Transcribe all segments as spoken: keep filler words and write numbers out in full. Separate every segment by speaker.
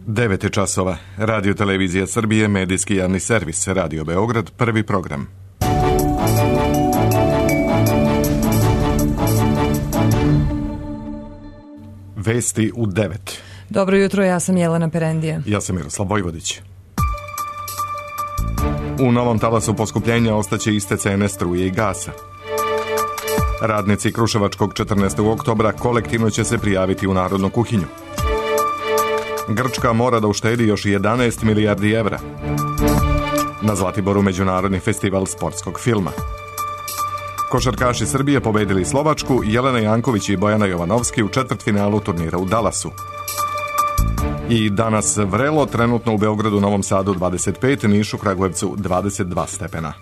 Speaker 1: devet je časova. Radio Televizija Srbije, medijski javni servis, Radio Beograd, prvi program. Vesti u devet.
Speaker 2: Dobro jutro, ja sam Jelena Perendija.
Speaker 1: Ja sam Miroslav Vojvodić. U novom talasu poskupljenja ostaće iste cene struje i gasa. Radnici Kruševačkog četrnaestog oktobra kolektivno će se prijaviti u Narodnu kuhinju. Grčka mora da uštedi još jedanaest milijardi evra. Na Zlatiboru međunarodni festival sportskog filma. Košarkaši Srbije pobedili Slovačku, Jelena Janković i Bojana Jovanovski u četvrtfinalu turnira u Dallasu. I danas vrelo, trenutno u Beogradu, Novom Sadu dvadeset pet, Nišu, Kragujevcu dvadeset dva stepena.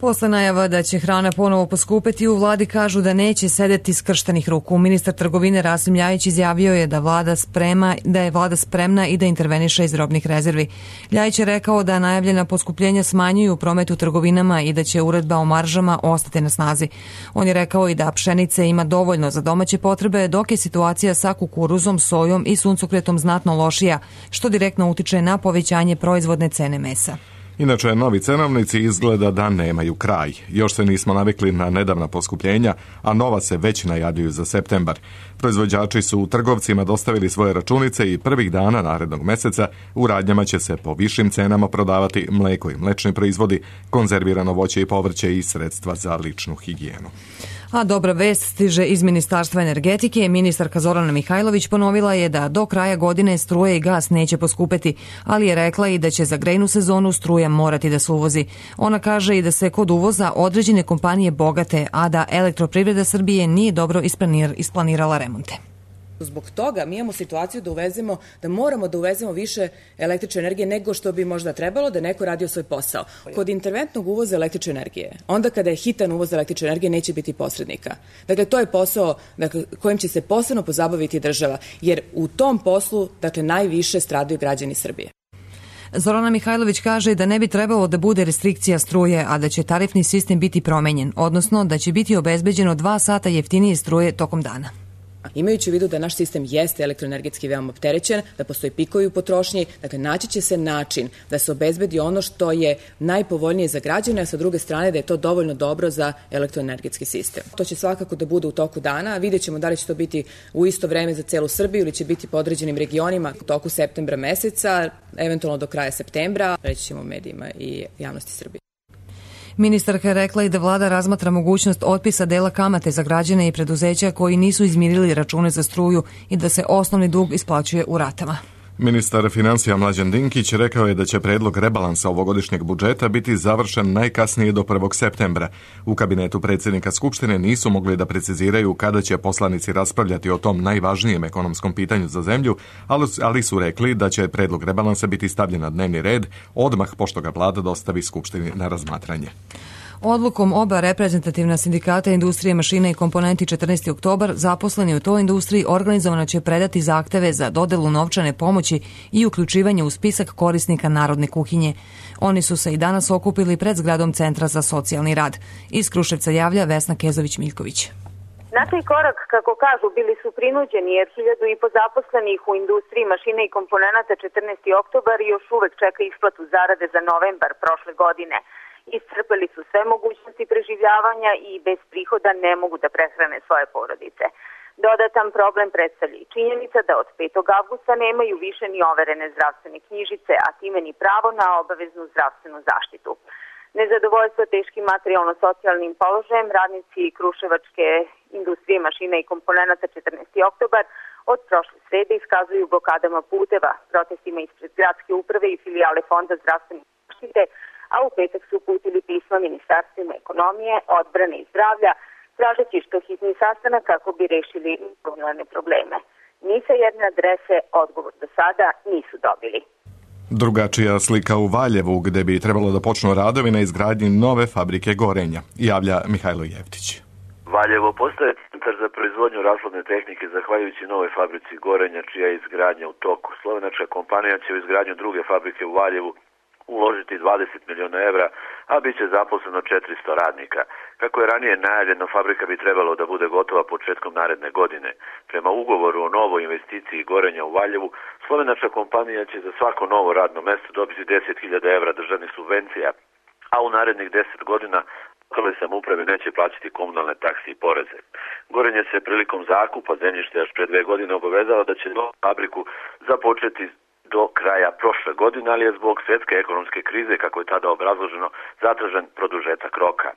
Speaker 2: Posle najava da će hrana ponovo poskupeti, u vladi kažu da neće sedeti skrštenih ruku. Ministar trgovine Rasim Ljajić izjavio je da vlada sprema, da je vlada spremna i da interveniše iz robnih rezervi. Ljajić je rekao da najavljena poskupljenja smanjuju promet u trgovinama i da će uredba o maržama ostati na snazi. On je rekao i da pšenice ima dovoljno za domaće potrebe, dok je situacija sa kukuruzom, sojom i suncokretom znatno lošija, što direktno utiče na povećanje proizvodne cene mesa.
Speaker 1: Inače, novi cenovnici izgleda da nemaju kraj. Još se nismo navikli na nedavna poskupljenja, a nova se već najavljuju za septembar. Proizvođači su u trgovcima dostavili svoje računice i prvih dana narednog meseca u radnjama će se po višim cenama prodavati mleko i mlečni proizvodi, konzervirano voće i povrće i sredstva za ličnu higijenu.
Speaker 2: A dobra vest stiže iz Ministarstva energetike. Ministarka Zorana Mihajlović ponovila je da do kraja godine struje i gas neće poskupeti, ali je rekla i da će za grejnu sezonu struja morati da se uvozi. Ona kaže i da se kod uvoza određene kompanije bogate, a da Elektroprivreda Srbije nije dobro isplanirala remonte.
Speaker 3: Zbog toga mi imamo situaciju da uvezemo, da moramo da uvezemo više električne energije nego što bi možda trebalo da neko radio svoj posao. Kod interventnog uvoza električne energije, onda kada je hitan uvoz električne energije, neće biti posrednika. Dakle, to je posao dakle, kojim će se posebno pozabaviti država, jer u tom poslu dakle, najviše stradaju građani Srbije.
Speaker 2: Zorana Mihajlović kaže da ne bi trebalo da bude restrikcija struje, a da će tarifni sistem biti promenjen, odnosno da će biti obezbeđeno dva sata jeftinije struje tokom dana.
Speaker 3: Imajući u vidu da naš sistem jeste elektroenergetski veoma opterećen, da postoji pikovi u potrošnji, dakle naći će se način da se obezbedi ono što je najpovoljnije za građane, a sa druge strane da je to dovoljno dobro za elektroenergetski sistem. To će svakako da bude u toku dana, vidjet ćemo da li će to biti u isto vreme za celu Srbiju ili će biti po određenim regionima u toku septembra meseca, eventualno do kraja septembra, reći ćemo medijima i javnosti Srbije.
Speaker 2: Ministarka je rekla i da vlada razmatra mogućnost otpisa dela kamate za građane i preduzeća koji nisu izmirili račune za struju i da se osnovni dug isplaćuje u ratama.
Speaker 1: Ministar financija Mlađan Dinkić rekao je da će predlog rebalansa ovogodišnjeg budžeta biti završen najkasnije do prvog septembra. U kabinetu predsjednika Skupštine nisu mogli da preciziraju kada će poslanici raspravljati o tom najvažnijem ekonomskom pitanju za zemlju, ali su rekli da će predlog rebalansa biti stavljen na dnevni red odmah pošto ga vlada dostavi Skupštini na razmatranje.
Speaker 2: Odlukom oba reprezentativna sindikata industrije mašina i komponenti četrnaesti oktobar zaposleni u toj industriji organizovano će predati zahteve za dodelu novčane pomoći i uključivanje u spisak korisnika Narodne kuhinje. Oni su se i danas okupili pred zgradom Centra za socijalni rad. Iz Kruševca javlja Vesna Kezović-Miljković.
Speaker 4: Na taj korak, kako kažu, bili su prinuđeni jer hiljadu i po zaposlenih u industriji mašina i komponenata četrnaesti oktobar još uvek čeka isplatu zarade za novembar prošle godine. Iscrpeli su sve mogućnosti preživljavanja i bez prihoda ne mogu da prehrane svoje porodice. Dodatan problem predstavlja i činjenica da od petog avgusta nemaju više ni overene zdravstvene knjižice, a time ni pravo na obaveznu zdravstvenu zaštitu. Nezadovoljstvo teškim materijalno-socijalnim položajem radnici Kruševačke industrije mašina i komponenata četrnaesti oktobar od prošle srede iskazuju blokadama puteva, protestima ispred gradske uprave i filijale Fonda zdravstvene zaštite, a u petak su uputili pisma ministarstvima ekonomije, odbrane i zdravlja, tražeći što hitni sastanak kako bi rešili gomilane probleme. Ni sa jedne adrese odgovor do sada nisu dobili.
Speaker 1: Drugačija slika u Valjevu, gde bi trebalo da počnu radovi na izgradnji nove fabrike gorenja, javlja Mihajlo Jevtić.
Speaker 5: Valjevo postaje centar za proizvodnju rashladne tehnike zahvaljujući nove fabrici gorenja čija je izgradnja u toku. Slovenačka kompanija će u izgradnju druge fabrike u Valjevu uložiti dvadeset miliona evra, a bit će zaposleno četiristo radnika. Kako je ranije najavljeno, fabrika bi trebalo da bude gotova početkom naredne godine. Prema ugovoru o novoj investiciji Gorenja u Valjevu, slovenačka kompanija će za svako novo radno mesto dobiti deset hiljada evra državnih subvencija, a u narednih deset godina lokalne samouprave neće plaćati komunalne takse i poreze. Gorenje se prilikom zakupa zemljišta još pre dve godine obavezao da će novu fabriku započeti do kraja prošle godine, ali je zbog svjetske ekonomske krize, kako je tada obrazloženo, zatražen produžetak roka.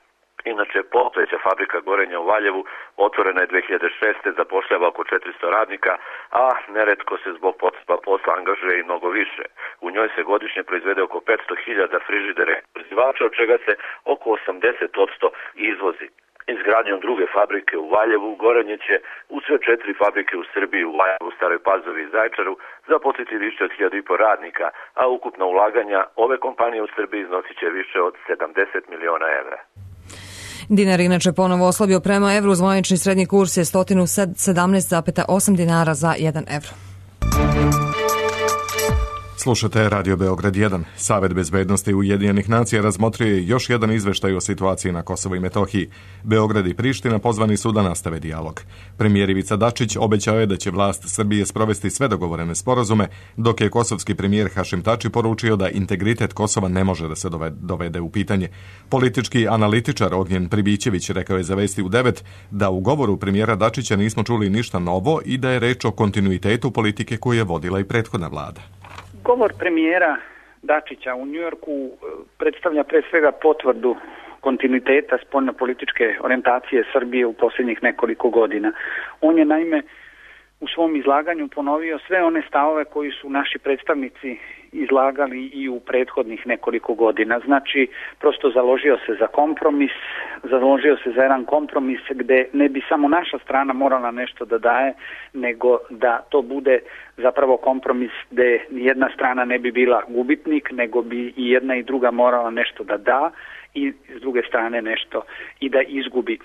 Speaker 5: Inače, postojeća fabrika Gorenja u Valjevu otvorena je dve hiljade šeste. zapošljava oko četiristo radnika, a neretko se zbog potreba posla angažuje i mnogo više. U njoj se godišnje proizvede oko petsto hiljada frižidera i zamrzivača, od čega se oko osamdeset posto izvozi. Izgradnjom druge fabrike u Valjevu, Gorenje će u sve četiri fabrike u Srbiji, u Valjevu, Staroj Pazovi i Zaječaru, zaposliti više od hiljadu i po radnika, a ukupna ulaganja ove kompanije u Srbiji iznosit će više od sedamdeset miliona evra.
Speaker 2: Dinar inače ponovo oslabio prema evru, zvanični srednji kurs je sto sedamnaest zarez osam dinara za jedan evro.
Speaker 1: Slušate Radio Beograd jedan. Savet bezbednosti Ujedinjenih nacija razmotrio je još jedan izveštaj o situaciji na Kosovu i Metohiji. Beograd i Priština pozvani su da nastave dijalog. Premijer Ivica Dačić obećao je da će vlast Srbije sprovesti sve dogovorene sporazume, dok je kosovski premijer Hašim Tači poručio da integritet Kosova ne može da se dovede u pitanje. Politički analitičar Ognjen Pribićević rekao je za Vesti u devet da u govoru premijera Dačića nismo čuli ništa novo i da je reč o kontinuitetu politike koju je vodila i prethodna vlada.
Speaker 6: Govor premijera Dačića u Njujorku predstavlja pre svega potvrdu kontinuiteta spoljnopolitičke orijentacije Srbije u posljednjih nekoliko godina. On je naime u svom izlaganju ponovio sve one stavove koji su naši predstavnici izlagali i u prethodnih nekoliko godina. Znači, prosto založio se za kompromis, založio se za jedan kompromis gde ne bi samo naša strana morala nešto da daje, nego da to bude zapravo kompromis gde nijedna strana ne bi bila gubitnik, nego bi i jedna i druga morala nešto da da i s druge strane nešto i da izgubi.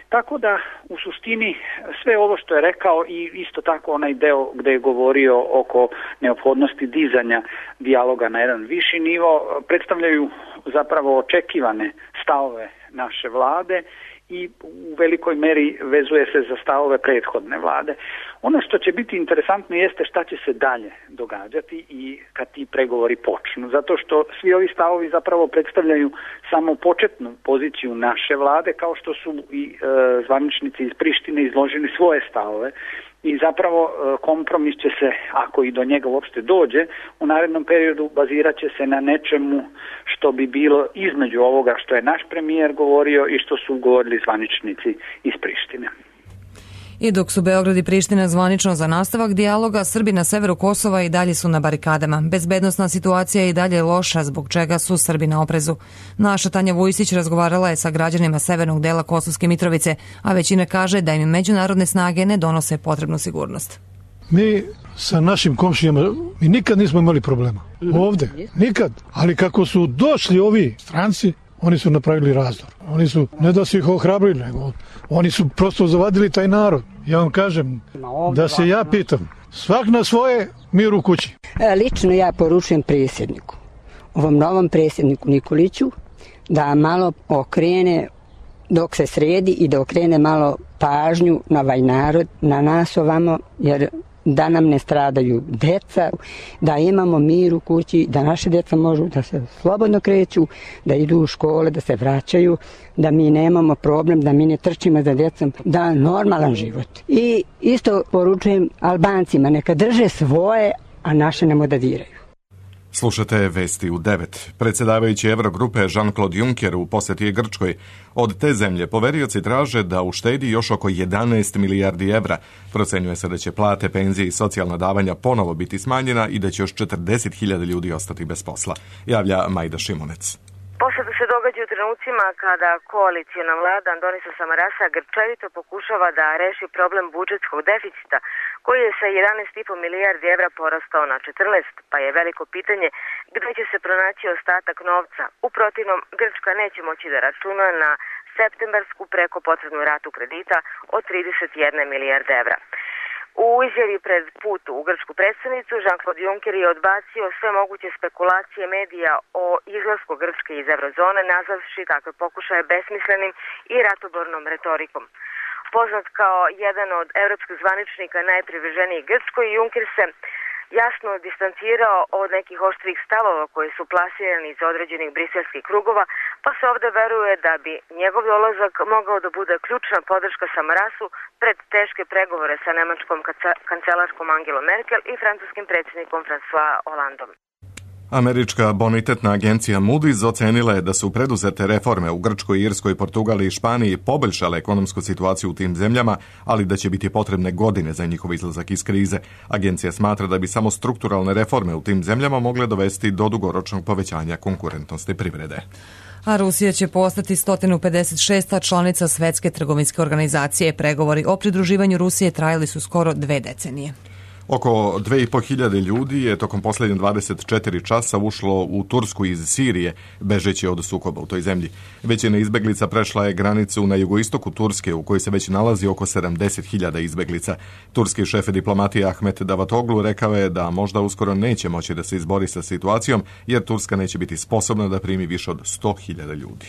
Speaker 6: Tako da u suštini sve ovo što je rekao i isto tako onaj deo gde je govorio oko neophodnosti dizanja dijaloga na jedan viši nivo predstavljaju zapravo očekivane stavove naše vlade i u velikoj meri vezuje se za stavove prethodne vlade. Ono što će biti interesantno jeste šta će se dalje događati i kad ti pregovori počnu, zato što svi ovi stavovi zapravo predstavljaju samo početnu poziciju naše vlade, kao što su i e, zvaničnici iz Prištine izložili svoje stavove. I zapravo kompromis će se, ako i do njega uopšte dođe, u narednom periodu bazirat će se na nečemu što bi bilo između ovoga što je naš premijer govorio i što su govorili zvaničnici iz Prištine.
Speaker 2: I dok su Beograd i Priština zvanično za nastavak dijaloga, Srbi na severu Kosova i dalje su na barikadama. Bezbednosna situacija je i dalje loša, zbog čega su Srbi na oprezu. Naša Tanja Vujsić razgovarala je sa građanima severnog dela Kosovske Mitrovice, a većina kaže da im međunarodne snage ne donose potrebnu sigurnost.
Speaker 7: Mi sa našim komšijama mi nikad nismo imali problema. Ovde, nikad. Ali kako su došli ovi stranci, oni su napravili razdor. Oni su, ne da su ih ohrabrili, nego oni su prosto zavadili taj narod. Ja vam kažem, da se ja pitam, svak na svoje, mir u kući.
Speaker 8: Lično ja poručujem predsjedniku, ovom novom predsjedniku Nikoliću, da malo okrene dok se sredi i da okrene malo pažnju na ovaj narod, na nas ovamo, jer da nam ne stradaju deca, da imamo mir u kući, da naše deca možu da se slobodno kreću, da idu u škole, da se vraćaju, da mi nemamo problem, da mi ne trčimo za decom, da normalan život. I isto poručujem Albancima, neka drže svoje, a naše nemo da diraju.
Speaker 1: Slušate Vesti u devet. Predsjedavajući Eurogrupe Jean-Claude Juncker u posjeti je Grčkoj. Od te zemlje poverioci traže da uštedi još oko jedanaest milijardi evra. Procenjuje se da će plate, penzije i socijalna davanja ponovo biti smanjena i da će još četrdeset hiljada ljudi ostati bez posla. Javlja Majda Šimunec.
Speaker 9: Posebno se događa u trenucima kada koalicijna vlada Andonisa Samarasa grčevito pokušava da reši problem budžetskog deficita, koji je sa jedanaest i po milijardi evra porastao na četrnaest, pa je veliko pitanje gdje će se pronaći ostatak novca. U protivnom, Grčka neće moći da računa na septembarsku preko potrebnu ratu kredita od trideset jedne milijarde evra. U izjavi pred put u grčku predstavnicu, Jean-Claude Juncker je odbacio sve moguće spekulacije medija o izlasku Grčke iz eurozone, nazavši takve pokušaje besmislenim i ratobornom retorikom. Poznat kao jedan od evropskih zvaničnika najprivrženijih Grčkoj, Juncker se jasno distancirao od nekih oštrih stavova koji su plasirani iz određenih briselskih krugova, pa se ovde veruje da bi njegov dolazak mogao da bude ključna podrška Samarasu pred teške pregovore sa nemačkom kancelarskom Angelom Merkel i francuskim predsjednikom François Hollandom.
Speaker 1: Američka bonitetna agencija Moody's ocenila je da su preduzete reforme u Grčkoj, Irskoj, Portugaliji i Španiji poboljšale ekonomsku situaciju u tim zemljama, ali da će biti potrebne godine za njihov izlazak iz krize. Agencija smatra da bi samo strukturalne reforme u tim zemljama mogle dovesti do dugoročnog povećanja konkurentnosti privrede.
Speaker 2: A Rusija će postati sto pedeset šesta članica Svetske trgovinske organizacije. Pregovori o pridruživanju Rusije trajali su skoro dve decenije.
Speaker 1: Oko dve i po hiljade ljudi je tokom posljednje dvadeset četiri časa ušlo u Tursku iz Sirije, bežeći od sukoba u toj zemlji. Većina izbeglica prešla je granicu na jugoistoku Turske, u kojoj se već nalazi oko sedamdeset hiljada izbeglica. Turski šef diplomatije Ahmet Davutoglu rekao je da možda uskoro neće moći da se izbori sa situacijom, jer Turska neće biti sposobna da primi više od sto hiljada ljudi.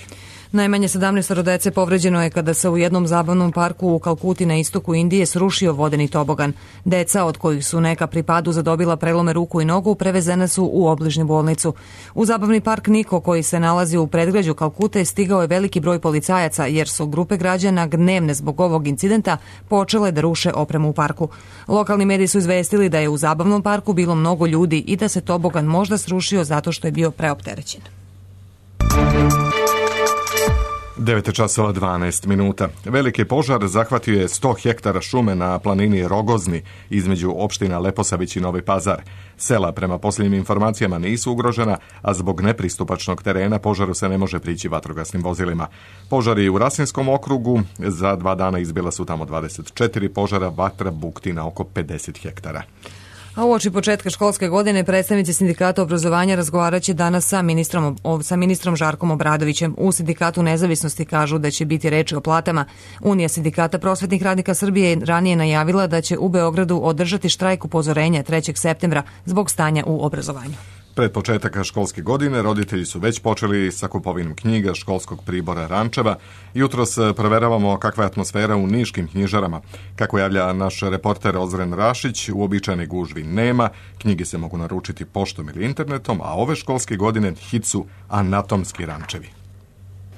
Speaker 2: Najmanje sedamnaest dece povređeno je kada se u jednom zabavnom parku u Kalkuti na istoku Indije srušio vodeni tobogan. Deca, od kojih su neka pri padu zadobila prelome ruku i nogu, prevezene su u obližnju bolnicu. U zabavni park Niko, koji se nalazi u predgrađu Kalkute, stigao je veliki broj policajaca, jer su grupe građana gnevne zbog ovog incidenta počele da ruše opremu u parku. Lokalni mediji su izvestili da je u zabavnom parku bilo mnogo ljudi i da se tobogan možda srušio zato što je bio preopterećen.
Speaker 1: devet časova dvanaest minuta. Veliki požar zahvatio je sto hektara šume na planini Rogozni između opština Leposavić i Novi Pazar. Sela prema posljednjim informacijama nisu ugrožena, a zbog nepristupačnog terena požaru se ne može prići vatrogasnim vozilima. Požari u Rasinskom okrugu, za dva dana izbila su tamo dvadeset četiri požara, vatra bukti na oko pedeset hektara.
Speaker 2: A uoči početka školske godine predstavnici sindikata obrazovanja razgovarat će danas sa ministrom, sa ministrom Žarkom Obradovićem. U sindikatu Nezavisnosti kažu da će biti reči o platama. Unija sindikata prosvetnih radnika Srbije je ranije najavila da će u Beogradu održati štrajk upozorenja trećeg septembra zbog stanja u obrazovanju.
Speaker 1: Pred početak školske godine roditelji su već počeli sa kupovinom knjiga, školskog pribora, rančeva. Jutros proveravamo kakva je atmosfera u niškim knjižarama. Kako javlja naš reporter Ozren Rašić, uobičajene gužvi nema, knjige se mogu naručiti poštom ili internetom, a ove školske godine hit su anatomski rančevi.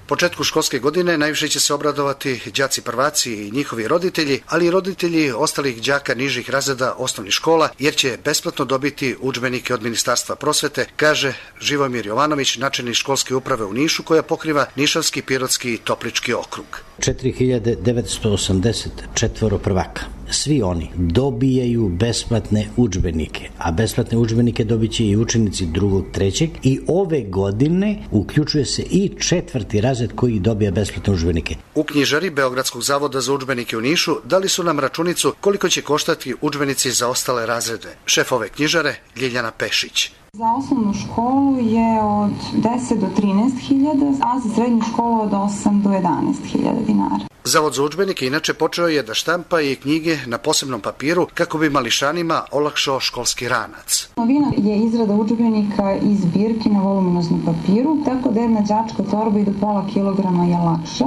Speaker 10: Početku školske godine najviše će se obradovati đaci prvaci i njihovi roditelji, ali i roditelji ostalih đaka nižih razreda osnovnih škola, jer će besplatno dobiti udžbenike od Ministarstva prosvete, kaže Živomir Jovanović, načelnik školske uprave u Nišu, koja pokriva Nišavski, Pirotski i Toplički okrug.
Speaker 11: četiri hiljade devetsto osamdeset četvoro prvaka. Svi oni dobijaju besplatne udžbenike, a besplatne udžbenike dobit će i učenici drugog, trećeg i ove godine uključuje se i četvrti razred koji dobija besplatne udžbenike.
Speaker 10: U knjižari Beogradskog zavoda za udžbenike u Nišu dali su nam računicu koliko će koštati udžbenici za ostale razrede. Šef ove knjižare Ljiljana Pešić.
Speaker 12: Za osnovnu školu je od deset do trinaest hiljada, a za srednju školu od osam do jedanaest hiljada dinara.
Speaker 10: Zavod za udžbenike inače počeo je da štampa i knjige na posebnom papiru kako bi mališanima olakšao školski ranac.
Speaker 12: Novina je izrada udžbenika iz zbirke na voluminoznom papiru, tako da jedna đačka torba i do pola kilograma je lakša.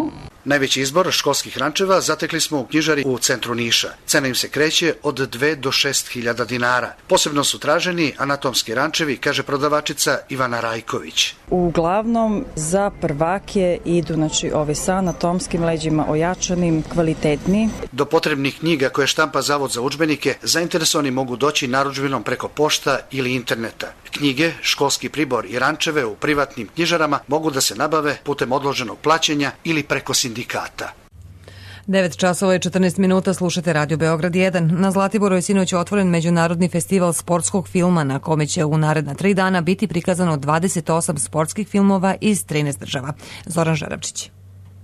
Speaker 10: Najveći izbor školskih rančeva zatekli smo u knjižari u centru Niša. Cena im se kreće od dve do šest hiljada dinara. Posebno su traženi anatomski rančevi, kaže prodavačica Ivana Rajković.
Speaker 13: Uglavnom za prvake idu znači ovi sa anatomskim leđima ojačanim, kvalitetni.
Speaker 10: Do potrebnih knjiga koje štampa Zavod za udžbenike zainteresovani mogu doći narudžbinom preko pošta ili interneta. Knjige, školski pribor i rančeve u privatnim knjižarama mogu da se nabave putem odloženog plaćanja ili preko sindikata.
Speaker 2: devet časova i četrnaest minuta, slušate Radio Beograd jedan. Na Zlatiboru je sinoć otvoren Međunarodni festival sportskog filma na kome će u naredna tri dana biti prikazano dvadeset osam sportskih filmova iz trinaest država. Zoran Žarabčić.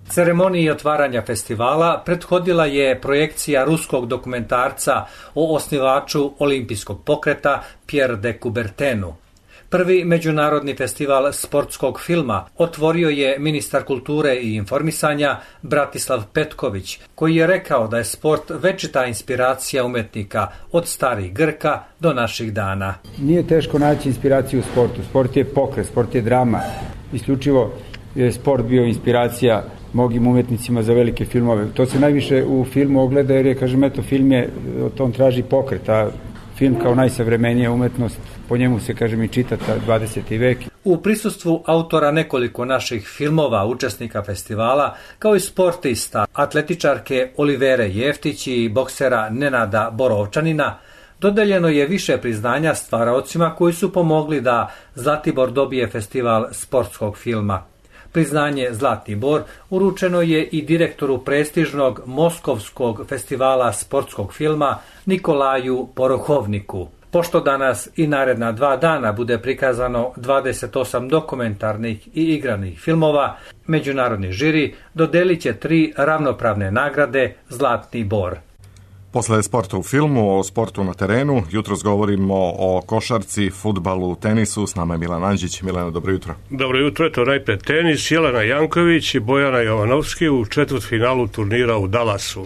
Speaker 14: Ceremoniji otvaranja festivala prethodila je projekcija ruskog dokumentarca o osnivaču olimpijskog pokreta Pierre de Coubertinu. Prvi međunarodni festival sportskog filma otvorio je ministar kulture i informisanja Bratislav Petković, koji je rekao da je sport večita inspiracija umetnika od starih Grka do naših dana.
Speaker 15: Nije teško naći inspiraciju u sportu. Sport je pokret, sport je drama. Isključivo je sport bio inspiracija mnogim umetnicima za velike filmove. To se najviše u filmu ogleda jer je, kažem, eto, film je, on traži pokret, a film kao najsavremenija umetnost, po njemu se, kažem, i čita dvadeseti vek.
Speaker 14: U prisustvu autora nekoliko naših filmova, učesnika festivala, kao i sportista, atletičarke Olivere Jeftić i boksera Nenada Borovčanina, dodeljeno je više priznanja stvaraocima koji su pomogli da Zlatibor dobije festival sportskog filma. Priznanje Zlatni bor uručeno je i direktoru prestižnog Moskovskog festivala sportskog filma Nikolaju Porohovniku. Pošto danas i naredna dva dana bude prikazano dvadeset osam dokumentarnih i igranih filmova, međunarodni žiri dodelit će tri ravnopravne nagrade Zlatni bor.
Speaker 1: Posle sporta u filmu, o sportu na terenu, jutros govorimo o košarci, fudbalu, tenisu. S nama je Milan Anđić. Milano, dobro jutro.
Speaker 16: Dobro jutro, eto najpre tenis. Jelena Janković i Bojana Jovanovski u četvrtfinalu turnira u Dallasu.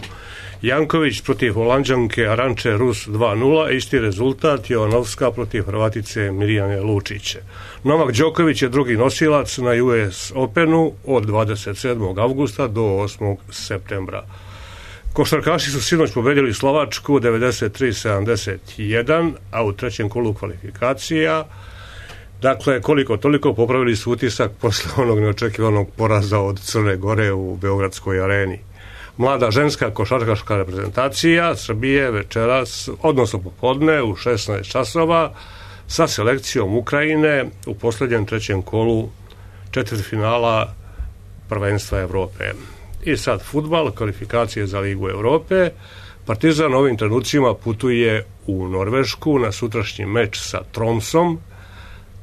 Speaker 16: Janković protiv Holanđanke Aranče Rus dva nula, isti rezultat Jovanovska protiv Hrvatice Mirjane Lučiće. Novak Đoković je drugi nosilac na U S Openu od dvadeset sedmog avgusta do osmog septembra. Košarkaši su sinoć pobedili Slovačku devedeset tri sedamdeset jedan, a u trećem kolu kvalifikacija, dakle, koliko toliko popravili su utisak posle onog neočekivanog poraza od Crne Gore u Beogradskoj areni. Mlada ženska košarkaška reprezentacija Srbije večeras, odnosno popodne u šesnaest časova, sa selekcijom Ukrajine u posljednjem trećem kolu četvrtfinala prvenstva Evrope. I sad fudbal, kvalifikacije za Ligu Evrope. Partizan ovim trenucima putuje u Norvešku na sutrašnji meč sa Tromsom.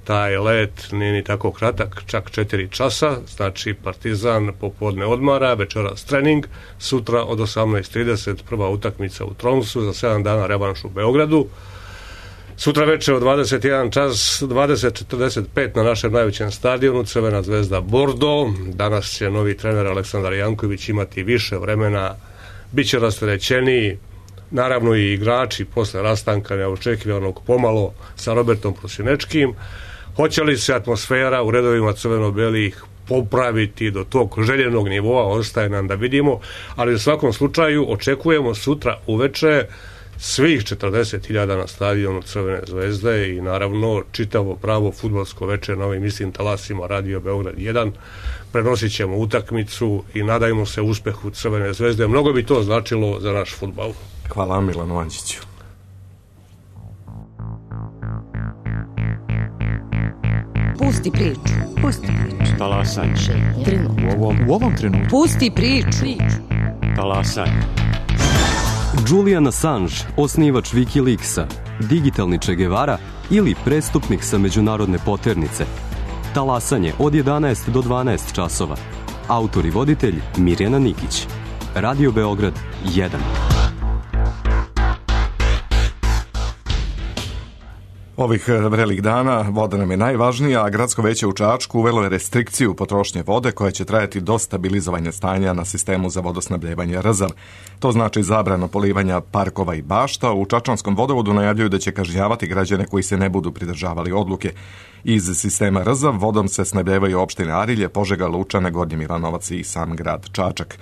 Speaker 16: Taj let nije ni tako kratak, čak četiri časa, znači Partizan popodne odmara, večeras trening, sutra od osamnaest trideset prva utakmica u Tromsu, za sedam dana revanš u Beogradu. Sutra večer od dvadeset jedan čas, dvadeset četrdeset pet na našem najvećem stadionu Crvena zvezda Bordo. Danas će novi trener Aleksandar Janković imati više vremena, bit će rasterećeniji, naravno i igrači posle rastanka neočekivanog pomalo sa Robertom Prosinečkim. Hoće li se atmosfera u redovima crveno-belih popraviti do tog željenog nivoa, ostaje nam da vidimo, ali u svakom slučaju očekujemo sutra uveče svih četrdeset hiljada na stadionu Crvene zvezde i naravno čitavo pravo fudbalsko večer na ovim istim talasima Radio Beograd jedan. Prenosit ćemo utakmicu i nadajmo se uspehu Crvene zvezde. Mnogo bi to značilo za naš fudbal.
Speaker 1: Hvala Milanu Anđiću.
Speaker 17: Pusti priču. Pusti priču.
Speaker 18: Talasaj.
Speaker 17: U ovom,
Speaker 18: u ovom trenutku.
Speaker 17: Pusti priču.
Speaker 18: Talasaj.
Speaker 19: Julian Assange, osnivač Wikileaksa, digitalni Che Guevara ili prestupnik sa međunarodne poternice. Talasanje od jedanaest do dvanaest časova. Autor i voditelj Mirjana Nikić. Radio Beograd jedan.
Speaker 1: Ovih vrelih dana voda nam je najvažnija, a gradsko veće u Čačku uvelo je restrikciju potrošnje vode koja će trajati do stabilizovanja stanja na sistemu za vodosnabdjevanje Rzav. To znači zabrano polivanja parkova i bašta. U Čačanskom vodovodu najavljuju da će kažnjavati građane koji se ne budu pridržavali odluke. Iz sistema Rzav vodom se snabdjevaju opštine Arilje, Požega, Lučane, Gornji Milanovac i sam grad Čačak.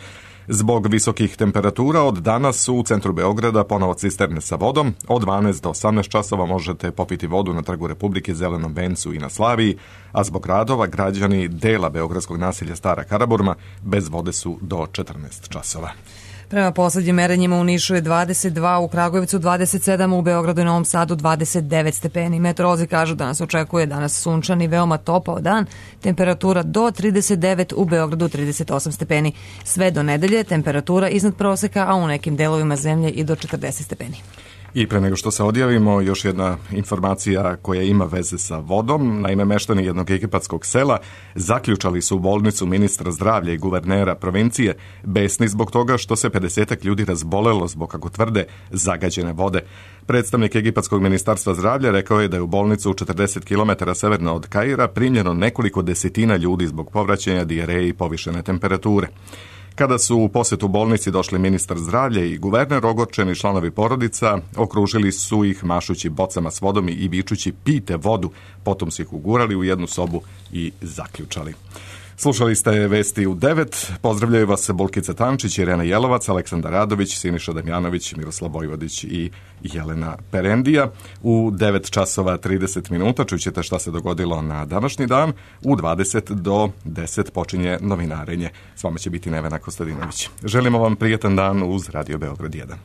Speaker 1: Zbog visokih temperatura od danas u centru Beograda ponovo cisterne sa vodom. Od dvanaest do osamnaest časova možete popiti vodu na Trgu Republike, Zelenom vencu i na Slaviji, a zbog radova građani dela beogradskog naselja Stara Karaburma bez vode su do četrnaest časova.
Speaker 2: Prema poslednjim merenjima u Nišu je dvadeset dva, u Kragujevcu dvadeset sedam, u Beogradu i Novom Sadu dvadeset devet stepeni. Meteorolozi kažu da nas očekuje danas sunčan i veoma topao dan, temperatura do trideset devet, u Beogradu trideset osam stepeni. Sve do nedelje temperatura iznad proseka, a u nekim delovima zemlje i do četrdeset stepeni.
Speaker 1: I pre nego što se odjavimo, još jedna informacija koja ima veze sa vodom. Naime, meštani jednog egipatskog sela zaključali su u bolnicu ministra zdravlja i guvernera provincije, besni zbog toga što se pedesetak ljudi razbolelo zbog, kako tvrde, zagađene vode. Predstavnik egipatskog ministarstva zdravlja rekao je da je u bolnicu četrdeset kilometara severno od Kaira primljeno nekoliko desetina ljudi zbog povraćanja, dijareje i povišene temperature. Kada su u posetu bolnici došli ministar zdravlja i guverner, ogorčeni članovi porodica okružili su ih mašući bocama s vodom i vičući pijte vodu, potom su ih ugurali u jednu sobu i zaključali. Slušali ste vesti u devet. Pozdravljaju vas Bolkica Tančić, Irena Jelovac, Aleksandar Radović, Siniša Damjanović, Miroslav Vojvodić i Jelena Perendija. U devet časova trideset minuta čućete šta se dogodilo na današnji dan. U dvadeset do deset počinje novinarenje. S vama će biti Nevena Kostadinović. Želimo vam prijetan dan uz Radio Beograd jedan.